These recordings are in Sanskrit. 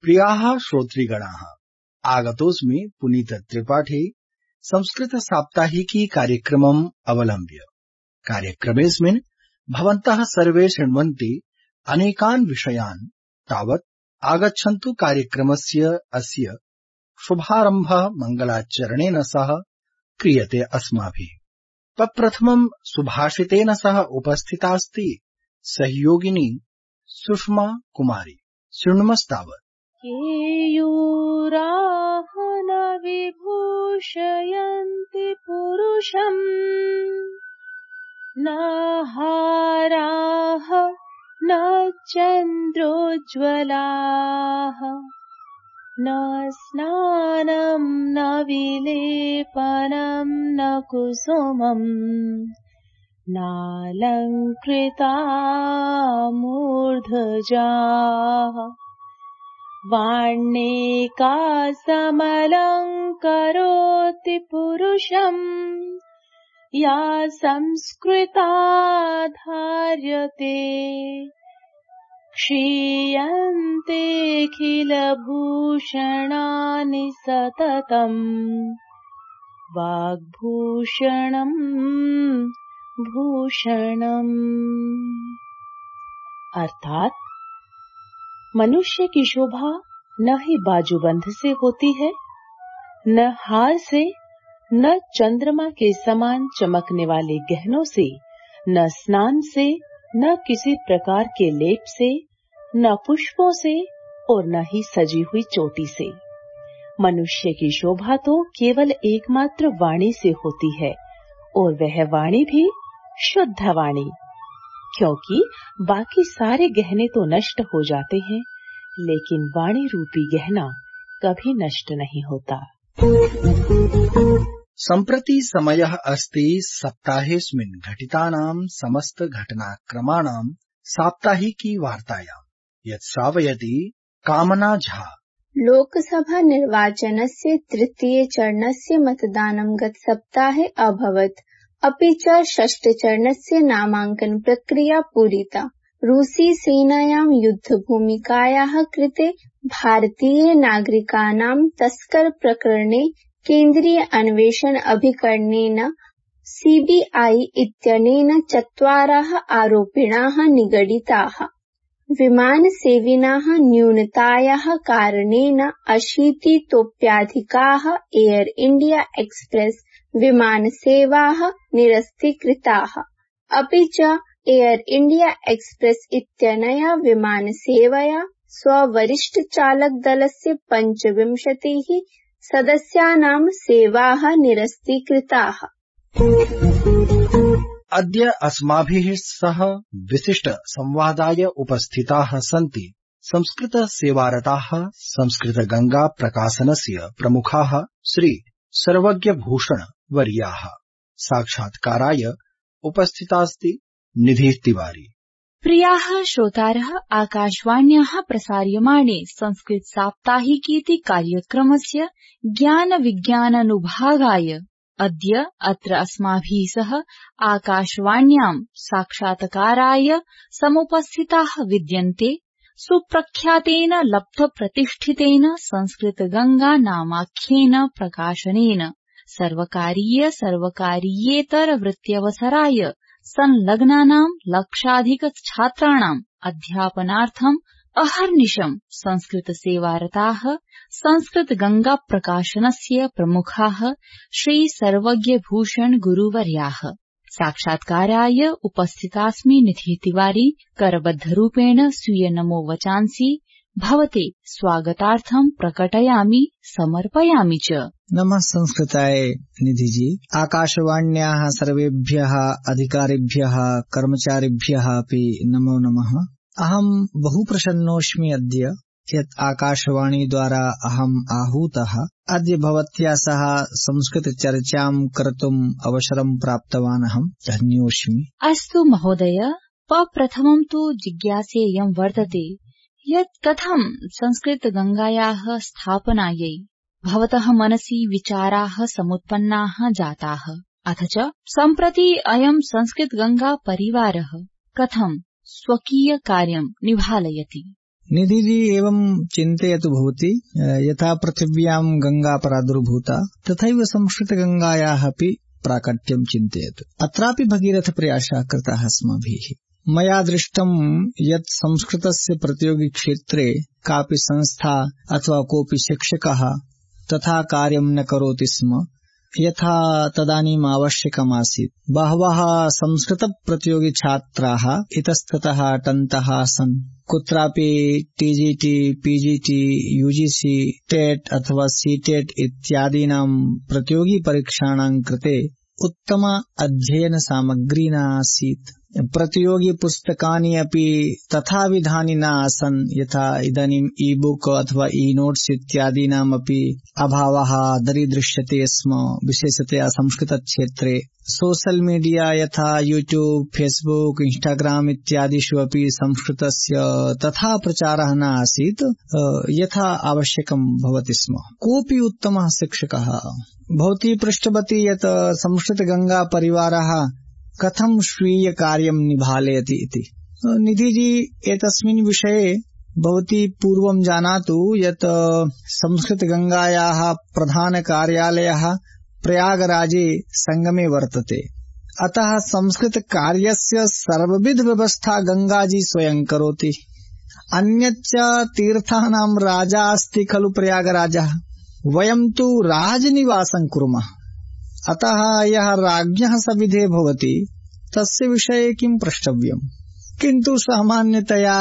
प्रियाः श्रोतृगणाः, आगतोऽस्मि पुनीत त्रिपाठी संस्कृत साप्ताहिकी कार्यक्रमम् अवलम्ब्य। कार्यक्रमेऽस्मिन् भवन्तः सर्वे शृण्वन्ति अनेकान् विषयान्। तावत् आगच्छन्तु कार्यक्रमस्य अस्य शुभारम्भः मङ्गलाचरणेन सह क्रियते अस्माभिः। तत्प्रथमम् सुभाषितेन सह उपस्थितास्ति सहयोगिनी सुषमा कुमारी। शृण्मस्तावत्। केयूराः न विभूषयन्ति पुरुषम्, न हाराः न चन्द्रोज्ज्वलाः, न स्नानं न विलेपनं न कुसुमम्, नालङ्कृता मूर्धजाः। वाण्येका समलङ्करोति पुरुषम्, या संस्कृता धार्यते। क्षीयन्तेऽखिलभूषणानि सततम्, वाग्भूषणम् भूषणम्। अर्थात मनुष्य की शोभा न ही बाजूबंद से होती है, न हार से, न चंद्रमा के समान चमकने वाले गहनों से, न स्नान से, न किसी प्रकार के लेप से, न पुष्पों से और न ही सजी हुई चोटी से। मनुष्य की शोभा तो केवल एकमात्र वाणी से होती है, और वह वाणी भी शुद्ध वाणी, क्योंकि बाकी सारे गहने तो नष्ट हो जाते हैं, लेकिन वाणी रूपी गहना कभी नष्ट नहीं होता। सम्प्रति समयः अस्ति सप्ताहेऽस्मिन् घटितानां समस्त घटनाक्रमाणां साप्ताहिकी वार्तायां, यत् श्रावयति कामना झा। लोकसभा निर्वाचनस्य तृतीय चरणस्य मतदानं गतसप्ताहे अभवत्, अपि च षष्ठचरणस्य नामाङ्कन प्रक्रिया पूरिता। रूसी सेनायां युद्धभूमिकायाः कृते भारतीय नागरिकाणां तस्कर प्रकरणे केन्द्रीय अन्वेषण अभिकरणेन CBI इत्यनेन 4 आरोपिणाः निगडिताः। विमानसेविनाः न्यूनतायाः कारणेन 80तोप्यधिकाः एयर इण्डिया एक्सप्रेस विमानसेवाः निरस्तीकृताः। अपि च एयर इण्डिया एक्सप्रेस इत्यनया विमानसेवया स्ववरिष्ठचालकदलस्य 25 सदस्यानां सेवाः निरस्तीकृताः। अद्य अस्माभिः सह विशिष्ट संवादाय उपस्थिताः सन्ति संस्कृत सेवारताः संस्कृत गंगा प्रकाशनस्य प्रमुखाः श्री सर्वज्ञभूषण वर्याः। साक्षात्काराय उपस्थितास्ति निधि तिवारी। प्रियाः श्रोतारः, आकाशवाण्याः प्रसार्यमाणे संस्कृत साप्ताहिकीति कार्यक्रमस्य ज्ञान विज्ञानानुभागाय अद्य अत्र अस्माभिः सह आकाशवाण्यां साक्षात्काराय समुपस्थिताः विद्यन्ते सुप्रख्यातेन लब्धप्रतिष्ठितेन संस्कृत गंगा नामाख्येन प्रकाशनेन सर्वकारीयेतर वृत्त्यवसराय संलग्नानां लक्षाधिक छात्राणाम् अध्यापनार्थम् अहर्निशम् संस्कृत सेवारताः संस्कृत गंगा प्रकाशनस्य प्रमुखाः श्री सर्वज्ञभूषण गुरुवर्याः। साक्षात्काराय उपस्थितास्मि निधि तिवारी। करबद्धरूपेण स्वीय नमो वचांसि भवते स्वागतार्थं प्रकटयामि समर्पयामि च। नमः संस्कृताय निधि जी। आकाशवाण्याः सर्वेभ्यः अधिकारिभ्यः कर्मचारिभ्यः अपि नमो नमः। अहं बहु प्रसन्नोऽस्मि अद्य यत् आकाशवाणी द्वारा अहम् आहूतः अद्य भवत्या सह संस्कृत चर्चां कर्तुम् अवसरं प्राप्तवान् अहं धन्योऽस्मि। अस्तु महोदय, प्रथमं तु जिज्ञासेयं वर्तते यत् कथं संस्कृत गंगायाः स्थापनायै भवतः मनसि विचाराः समुत्पन्नाः जाताः। अथ च सम्प्रति अयं संस्कृत गंगा परिवारः कथं स्वकीय कार्यं निभालयति। निधि जी एवं चिन्तयतु भवती यथा पृथिव्यां गंगा प्रादुर्भूता तथैव संस्कृत गंगायाः अपि प्राकट्यं चिन्तयतु। अत्रापि भगीरथ प्रयासः कृतः अस्माभिः। मया दृष्टं यत् संस्कृतस्य प्रतियोगी क्षेत्रे कापि संस्था अथवा कोऽपि शिक्षकः तथा कार्यं न करोति स्म यथा तदानीम् आवश्यकमासीत्। बहवः संस्कृत प्रतियोगी छात्राः इतस्ततः अटन्तः आसन्। कुत्रापि टीजीटी, पीजीटी, यूजीसी, टेट अथवा सीटेट इत्यादीनां प्रतियोगी परीक्षाणां कृते उत्तम अध्ययन सामग्री न आसीत्। प्रतियोगी पुस्तकानि अपि तथा विधानि न आसन् यथा इदानीम् ई बुक अथवा ई नोट्स इत्यादीनाम् अपि अभावः दरीदृश्यते स्म। विशेषतया संस्कृत क्षेत्रे सोशल मीडिया यथा यूट्यूब, फेसबुक, इंस्टाग्राम इत्यादिषु अपि संस्कृतस्य तथा प्रचारः न आसीत् यथा आवश्यकं भवति स्म। कोऽपि उत्तमः शिक्षकः भवती पृष्टवती यत् संस्कृत गंगा परिवारः कथं स्वीय कार्यं निभालयति इति। निधि जी एतस्मिन् विषये भवती पूर्वं जानातु यत् संस्कृत गंगायाः प्रधान कार्यालयः प्रयागराजे संगमे वर्तते। अतः संस्कृत कार्यस्य सर्वविध व्यवस्था गंगाजी स्वयं करोति। अन्यच्च तीर्थानां राजा अस्ति खलु प्रयागराजः। वयं तु राजनिवासं कुर्मः। अतः यः राज्ञः सविधे भवति तस्य विषये किं प्रष्टव्यम्। किन्तु सामान्यतया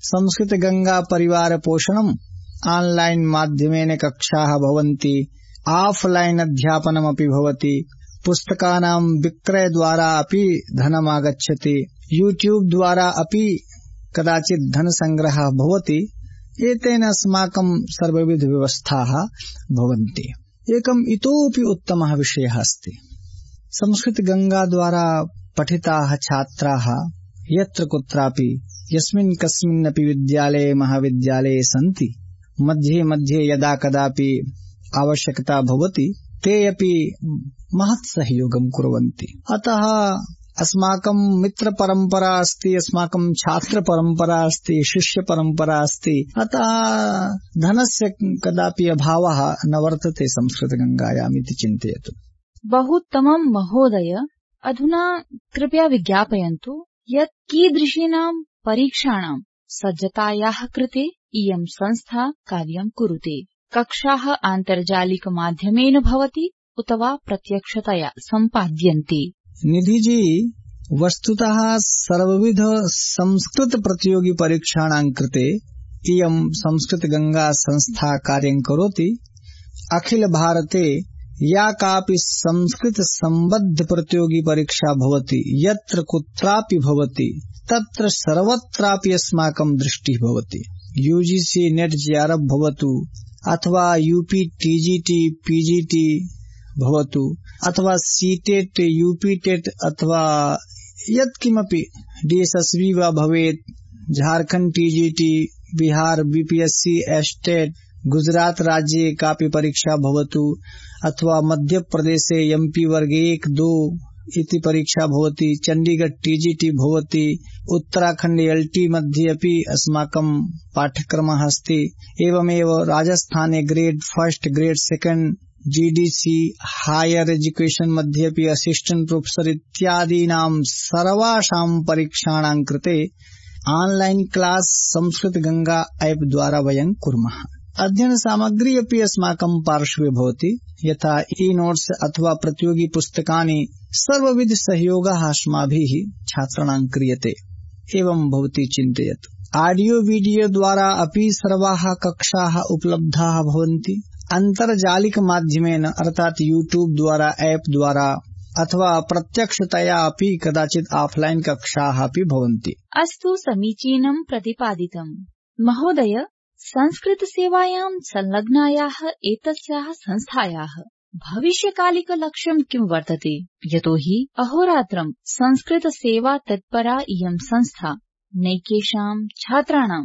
संस्कृत गंगा परिवार पोषणम् ऑनलाइन माध्यमेन कक्षाः भवन्ति, ऑफलाइन अध्यापनमपि भवति, पुस्तकानां विक्रय द्वारा अपि धनम् आगच्छति, यूट्यूब द्वारा अपि कदाचित् धन संग्रहः भवति। एतेन अस्माकं सर्वविध व्यवस्थाः भवन्ति। एकम् इतोऽपि उत्तमः विषयः अस्ति। संस्कृत गंगा द्वारा पठिताः छात्राः यत्र कुत्रापि यस्मिन् कस्मिन्नपि विद्यालये महाविद्यालये सन्ति, मध्ये मध्ये यदा कदापि आवश्यकता भवति ते अपि महत् सहयोगं कुर्वन्ति। अतः अस्माकं मित्र परंपरा अस्ति, अस्माकं छात्र परंपरा अस्ति, शिष्य परंपरा अस्ति। अतः धनस्य कदापि अभावः न वर्तते संस्कृत गंगायाम् इति चिन्तयतु। बहुत्तमं महोदय। अधुना कृपया विज्ञापयन्तु यत् कीदृशीनां परीक्षाणां सज्जतायाः कृते इयं संस्था कार्यं कुरुते। कक्षाः आन्तर्जालिक माध्यमेन भवति उत वा प्रत्यक्षतया सम्पाद्यन्ते। निधि जी वस्तुतः सर्वविध संस्कृत प्रतियोगी परीक्षाणां कृते इयं संस्कृत गंगा संस्था कार्यं करोति। अखिल भारते या कापि संस्कृत संबद्ध प्रतियोगी परीक्षा भवति यत्र कुत्रापि भवति तत्र सर्वत्रापि अस्माकं दृष्टिः भवति। यूजीसी नेट जेआरएफ भवतु अथवा यूपी टीजीटी पीजीटी भवतु अथवा सीटेट यूपीटेट अथवा यत्किमपि डीएसएसबी वा भवेत्, Jharkhand TGT, Bihar BPSC, estate, Gujarat राज्ये कापि परीक्षा भवतु अथवा मध्य प्रदेशे एमपी वर्ग 1-2 इति परीक्षा भवति, चंडीगढ़ टीजीटी भवति, उत्तराखंड एलटी मध्ये अपि अस्माकं पाठ्यक्रमः अस्ति। एवमेव राजस्थाने grade 1, grade 2 GDC higher education मध्ये अपि असिस्टेंट प्रोफेसर इत्यादीनां सर्वासां परीक्षाणां कृते online class Sanskrit Ganga app द्वारा वयं कुर्मः। अध्ययन सामग्री अपि अस्माकं पार्श्वे भवति, यथा ई नोट्स अथवा प्रतियोगी पुस्तकानि। सर्वविध सहयोगः अस्माभिः छात्राणां क्रियते। एवं भवती चिन्तयतु। ऑडियो वीडियो द्वारा अपि सर्वाः कक्षाः उपलब्धाः भवन्ति। अन्तर्जालिक माध्यमेन अर्थात यूट्यूब द्वारा ऐप द्वारा अथवा प्रत्यक्षतया अपि कदाचित् ऑफलाइन कक्षाः अपि भवन्ति। अस्तु, समीचीनं प्रतिपादितम्। महोदय, संस्कृत सेवायां संलग्नायाः एतस्याः संस्थायाः भविष्यकालिक लक्ष्यं किं वर्तते? यतोहि अहोरात्रं संस्कृत सेवा तत्परा इयं संस्था नैकेषां छात्राणां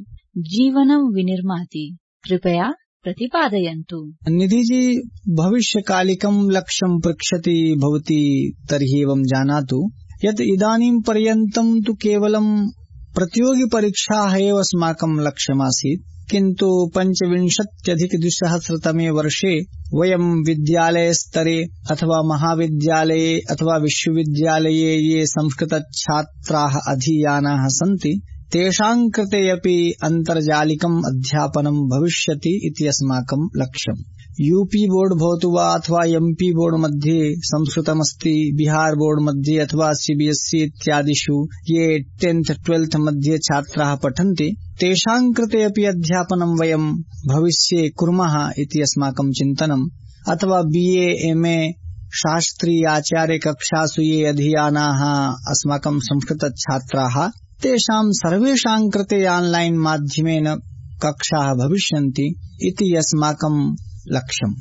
जीवनं विनिर्माति। कृपया प्रतिपादयन्तु। निधिजी, भविष्यकालिकं लक्ष्यं पृच्छति भवती तर्हि एवं जानातु यत् इदानीं पर्यन्तं तु केवलं प्रतियोगिपरीक्षाः एव अस्माकं लक्ष्यमासीत्, किन्तु 25,अधिक-2000 वर्षे वयं विद्यालयस्तरे अथवा महाविद्यालये अथवा विश्वविद्यालये ये संस्कृतछात्राः अधीयानाः सन्ति तेषां कृते अपि अन्तर्जालिकम् अध्यापनं भविष्यति इति अस्माकं लक्ष्यम्। यूपी बोर्ड भवतु वा अथवा एमपी बोर्ड मध्ये संस्कृतमस्ति, बिहार बोर्ड मध्ये अथवा सीबीएसई इत्यादिषु ये 10th 12th मध्ये छात्राः पठन्ति तेषां कृते अपि अध्यापनं वयं भविष्ये कुर्मः इति अस्माकं चिन्तनम्। अथवा बीए एमए शास्त्री आचार्य कक्षासु ये अधीयानाः अस्माकं संस्कृतछात्राः तेषां सर्वेषां कृते ऑनलाइन माध्यमेन कक्षाः भविष्यन्ति इति अस्माकं लक्ष्यम्।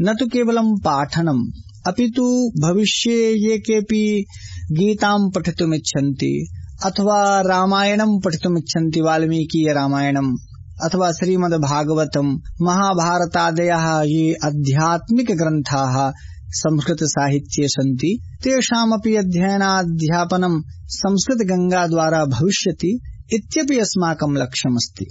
न तु केवलं पाठनम्, अपि तु भविष्ये ये केऽपि गीतां पठितुमिच्छन्ति अथवा रामायणं पठितुमिच्छन्ति, वाल्मीकीय रामायणम् अथवा श्रीमद्भागवतं, महाभारतादयः ये आध्यात्मिक ग्रन्थाः संस्कृतसाहित्ये सन्ति तेषामपि अध्ययनाध्यापनं संस्कृतगंगा द्वारा भविष्यति इत्यपि अस्माकं लक्ष्यमस्ति।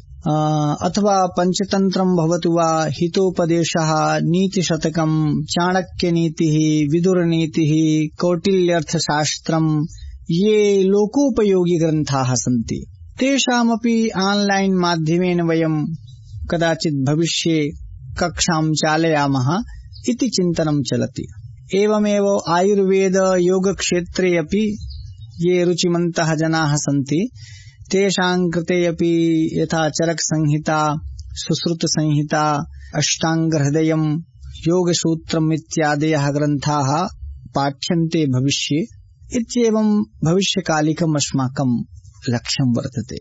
अथवा पंचतन्त्रं भवतु वा, हितोपदेशः, नीतिशतकं, चाणक्यनीतिः, विदुरनीतिः, कौटिल्यर्थशास्त्रं ये लोकोपयोगी ग्रन्थाः सन्ति तेषामपि ऑनलाइन माध्यमेन वयं कदाचित् भविष्ये कक्षां चालयामः इति चिन्तनं चलति। एवमेव आयुर्वेद योग क्षेत्रे अपि ये रुचिमन्तः जनाः सन्ति तेषां कृते अपि यथा चरक संहिता, सुश्रुत संहिता, अष्टांगहृदयम्, योगसूत्रम् इत्यादयः ग्रन्थाः पाठ्यन्ते भविष्ये इत्येवं भविष्यकालिकम् अस्माकं लक्ष्यं वर्तते।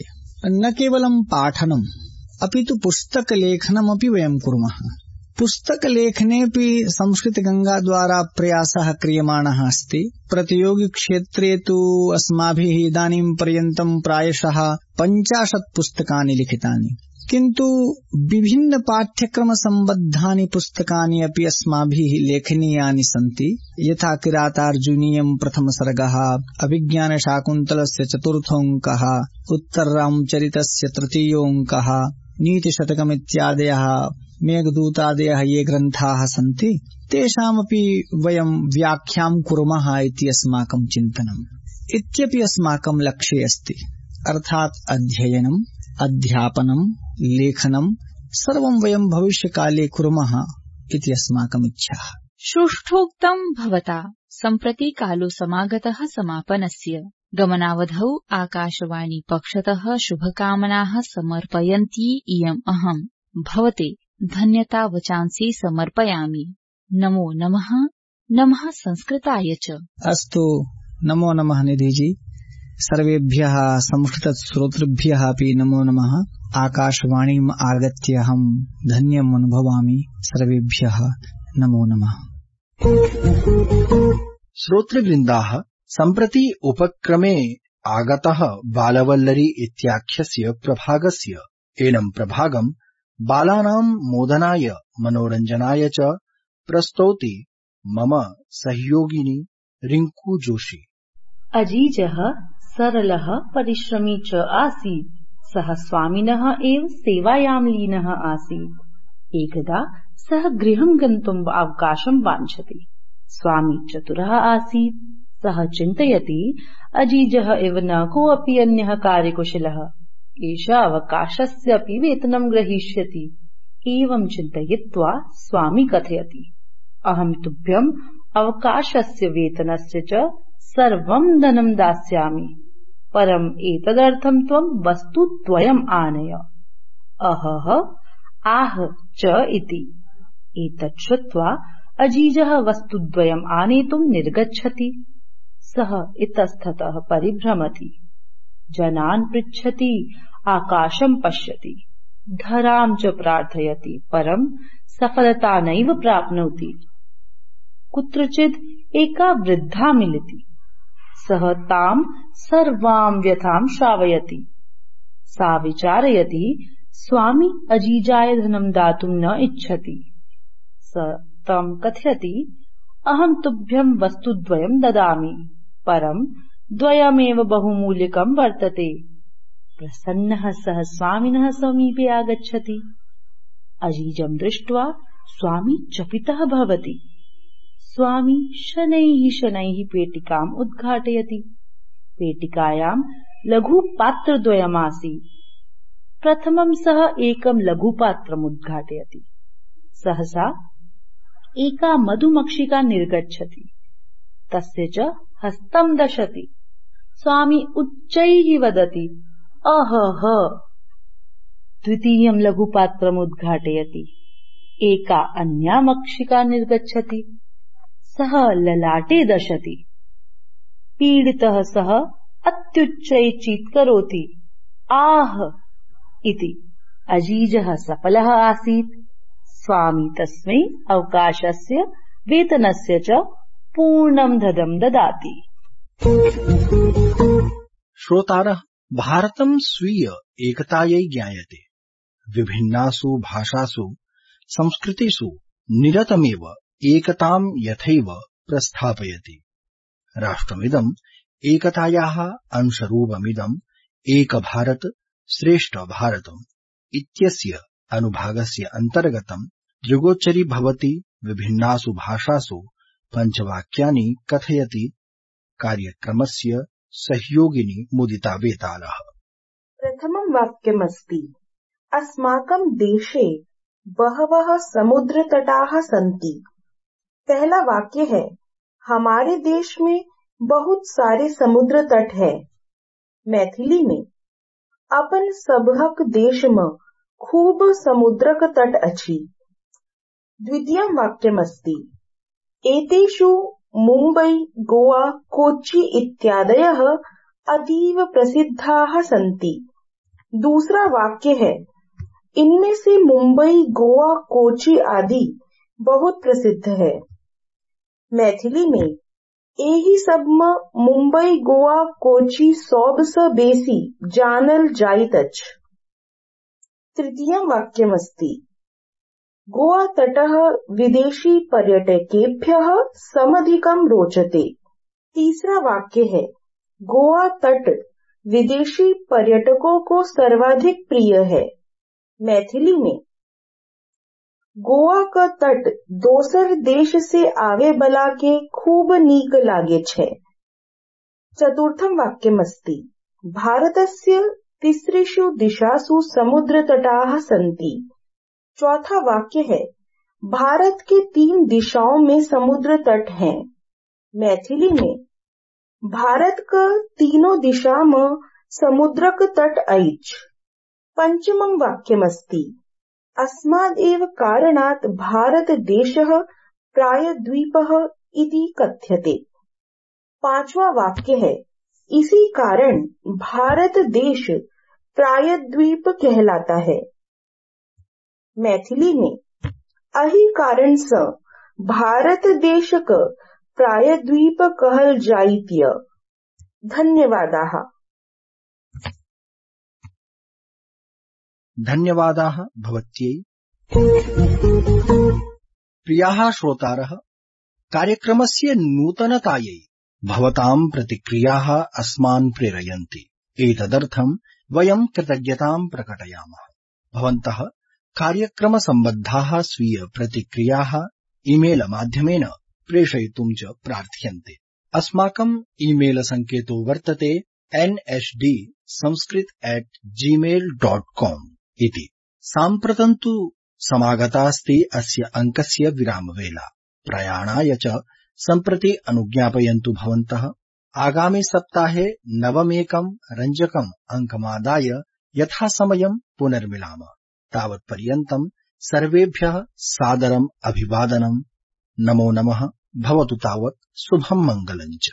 न केवलं पाठनम् अपि तु पुस्तकलेखनमपि वयं कुर्मः। पुस्तकलेखनेऽपि संस्कृतगंगा द्वारा प्रयासः क्रियमाणः अस्ति। प्रतियोगिक्षेत्रे तु अस्माभिः इदानीं पर्यन्तं प्रायशः 50 पुस्तकानि लिखितानि, किन्तु विभिन्न पाठ्यक्रमसम्बद्धानि पुस्तकानि अपि अस्माभिः लेखनीयानि सन्ति। यथा किरातार्जुनीयं प्रथमसर्गः, अभिज्ञानशाकुन्तलस्य 4थोऽङ्कः, उत्तररामचरितस्य 3योऽङ्कः, नीतिशतकमित्यादयः, मेघदूतादयः ये ग्रन्थाः सन्ति तेषामपि वयं व्याख्यां कुर्मः इति अस्माकं चिन्तनम्। इत्यपि अस्माकं लक्ष्ये अस्ति। अर्थात् अध्ययनम्, अध्यापनम्, लेखनं सर्वं वयं भविष्यकाले कुर्मः इति अस्माकम् इच्छा। सुष्ठोक्तं भवता सम्प्रति कालो समागतः समापनस्य। गमनावधौ आकाशवाणी पक्षतः शुभकामनाः समर्पयन्ती इयम् अहम् भवते धन्यता वचांसि समर्पयामि। नमो नमः। नमः संस्कृताय च। अस्तु, नमो नमः निधिजी। सर्वेभ्यः संस्कृतश्रोतृभ्यः अपि नमो नमः। आकाशवाणीम् आगत्य अहम् धन्यम् अनुभवामि। सर्वेभ्यः नमो नमः। श्रोतृवृन्दाः, सम्प्रति उपक्रमे आगतः बालवल्लरी इत्याख्यस्य प्रभागस्य एनं प्रभागं बालानां मोदनाय मनोरञ्जनाय च प्रस्तौति मम सहयोगिनी रिंकू जोशी। अजीजः सरलः परिश्रमी च आसीत्। सः स्वामिनः एव सेवायां लीनः आसीत्। एकदा सः गृहं गन्तुम् अवकाशं वाञ्छति। स्वामी चतुरः आसीत्। सः चिन्तयति अजीजः इव न कोऽपि अन्यः कार्यकुशलः एषः अवकाशस्यापि वेतनं ग्रहीष्यति। एवं चिन्तयित्वा स्वामी कथयति, अहं तुभ्यम् अवकाशस्य वेतनस्य च सर्वं धनं दास्यामि, परम् एतदर्थं त्वं वस्तुद्वयम् आनय। अहः आह च इति। एतत् श्रुत्वा अजीजः वस्तुद्वयम् आनेतुं निर्गच्छति। सः इतस्ततः परिभ्रमति, जनान् पृच्छति, आकाशं पश्यति, धरां च प्रार्थयति, परं सफलता नैव प्राप्नोति। कुत्रचित् एका वृद्धा मिलति। सः तां सर्वां व्यथां श्रावयति। सा विचारयति स्वामी अजीजाय धनं दातुं न इच्छति। स तं कथयति, अहं तुभ्यं वस्तुद्वयं ददामि, परं द्वयमेव बहुमूल्यकं वर्तते। प्रसन्नः सः स्वामिनः समीपे आगच्छति। अजीजं दृष्ट्वा स्वामी चकितः भवति। स्वामी शनैः शनैः पेटिकाम् उद्घाटयति। पेटिकायां लघुपात्रद्वयमासीत्। प्रथमं सः एकं लघुपात्रम् उद्घाटयति। सहसा एका मधुमक्षिका निर्गच्छति। तस्य च हस्तं दशति। स्वामी उच्चैः वदति, अहह। द्वितीयं लघुपात्रम् उद्घाटयति। एका अन्या मक्षिका निर्गच्छति। सः ललाटे दशति। पीडितः सः अत्युच्चैः चीत्करोति, आह इति। अजीजः सफलः आसीत्। स्वामी तस्मै अवकाशस्य वेतनस्य च पूर्णं धनं ददाति। श्रोतारः, भारतं स्वीय एकतायै ज्ञायते। विभिन्नासु भाषासु संस्कृतिषु निरतमेव एकतां यथैव प्रस्थापयति। राष्ट्रमिदं एकतायाः अंशरूपमिदं एक भारत श्रेष्ठ भारतम् इत्यस्य अनुभागस्य अन्तर्गतं दृगोच्चरी भवति। विभिन्नासु भाषासु पञ्चवाक्यानि कथयति। कार्यक्रमस्य सहयोगिनी मुदिता वेतालः। प्रथमं वाक्यमस्ति, अस्माकं देशे बहवः समुद्रतटाः सन्ति। पहला वाक्य है, हमारे देश में बहुत सारे समुद्र तट है। मैथिली में, अपन सबहक देश में खूब समुद्रक तट अछि। द्वितीयं वाक्यमस्ति, एतेषु मुम्बै, गोवा, कोच्चि इत्यादयः अतीव प्रसिद्धाः सन्ति। दूसरा वाक्य है, इनमें से मुंबई, गोवा, कोच्चि आदि बहुत प्रसिद्ध है। मैथिली में, एही सब में मुंबई, गोवा, कोच्चि सबसँ बेसी जानल जाइत अछि। तृतीयं वाक्यमस्ति, गोवा तटः विदेशी पर्यटकेभ्यः समधिकं रोचते। तीसरा वाक्य है, गोवा तट विदेशी पर्यटकों को सर्वाधिक प्रिय है। मैथिली में, गोवा का तट दोसर देश से आवे बला के खूब नीक लागे छे। चतुर्थं वाक्यमस्ति, भारतस्य तिसृषु दिशासु समुद्र तटाः सन्ति। चौथा वाक्य है, भारत के 3 दिशाओं में समुद्र तट हैं। मैथिली में, भारत का तीनों दिशा में समुद्रक तट अछि। पंचमं वाक्यमस्ति, अस्मादेव कारणात् भारत देशः प्रायद्वीपः इति कथ्यते। पांचवा वाक्य है, इसी कारण भारत देश प्रायद्वीप कहलाता है। मैथिली में, अही कारण से भारत देशक प्रायद्वीप कहल जाइत्य। धन्यवादाः। धन्यवादाः भवत्यै। प्रियाः श्रोतारः, कार्यक्रमस्य नूतनतायै भवतां प्रतिक्रियाः अस्मान् प्रेरयन्ति। एतदर्थं वयं कृतज्ञतां प्रकटयामः। भवन्तः कार्यक्रमसम्बद्धाः स्वीय प्रतिक्रियाः ईमेल माध्यमेन प्रेषयितुं च प्रार्थ्यन्ते। अस्माकं ईमेल सङ्केतो वर्तते nhdsanskrit@gmail.com इति। साम्प्रतं तु समागतास्ति अस्य अङ्कस्य विरामवेला। प्रयाणाय च सम्प्रति अनुज्ञापयन्तु भवन्तः। आगामि सप्ताहे नवमेकं रञ्जकम् अङ्कमादाय यथासमयं पुनर्मिलामः। तावत्पर्यन्तं सर्वेभ्यः सादरम् अभिवादनम्। नमो नमः। भवतु तावत् शुभं मङ्गलम् च।